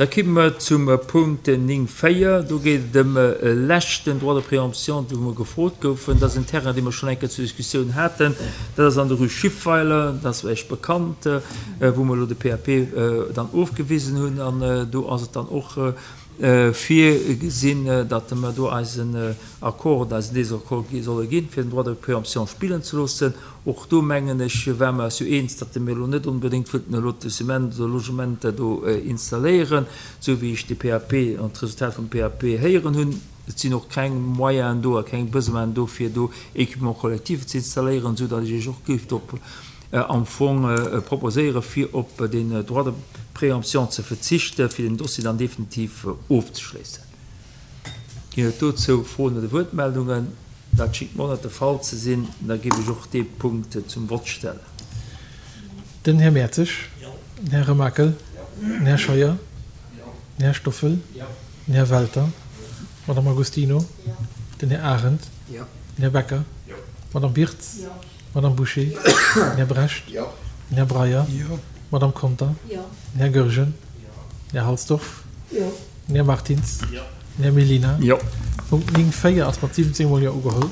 Da kimme mer zum Punkt 9, 4. Do geet et ëm e leschten Droit de préemption, wou mer gefrot goufen. Dat ass en Terrain, dee mer schonn eng Kéier zur Diskussioun haten. Dat ass an der Rue Schiffweiler, dat ass Iech bekannt, wou mer elo de PAP dann ofgewisen hunn. An do ass et dann och virgesinn, datt mer do eisen Accord oder eisen Désaccord solle ginn, fir den Droit de préemption spillen ze loossen. Och do, mengen ech, ware mer eis jo eens, datt mir elo net onbedéngt wëllten e Lotissement oder Logement do installéieren, esou wéi ech de PAP an d'Resultat vum PAP héieren hunn. Et sinn och keng Moyenen do a keng Besoinen do, fir do Équipements collectifs ze installéieren, esou datt ech Iech och géif drop am Fong proposéieren, fir op deen Droit de préemption ze verzichten, fir den Dossier dann definitiv ofzeschléissen. Ginn et dozou Froen oder Wuertmeldungen? Dat schéngt mer net de Fall ze sinn. Da géif ech och dee Punkt zum Vott stellen. Den Här Mertzig. Den Här Remakel. Den Här Scheuer. Den Här Stoffel. Den Här Welter. D'Madame Agostino. Den Här Arendt. Den Här Becker. D'Madame Birtz. D'Madame Bouché. Den Här Brecht. Den Här Breyer. D'Madame Conter. Den Här Goergen. Den Här Halsdorf. Den Här Martins. Den Här Mellina. Punkt 9, 4 ass mat 17 mol Jo ugeholl.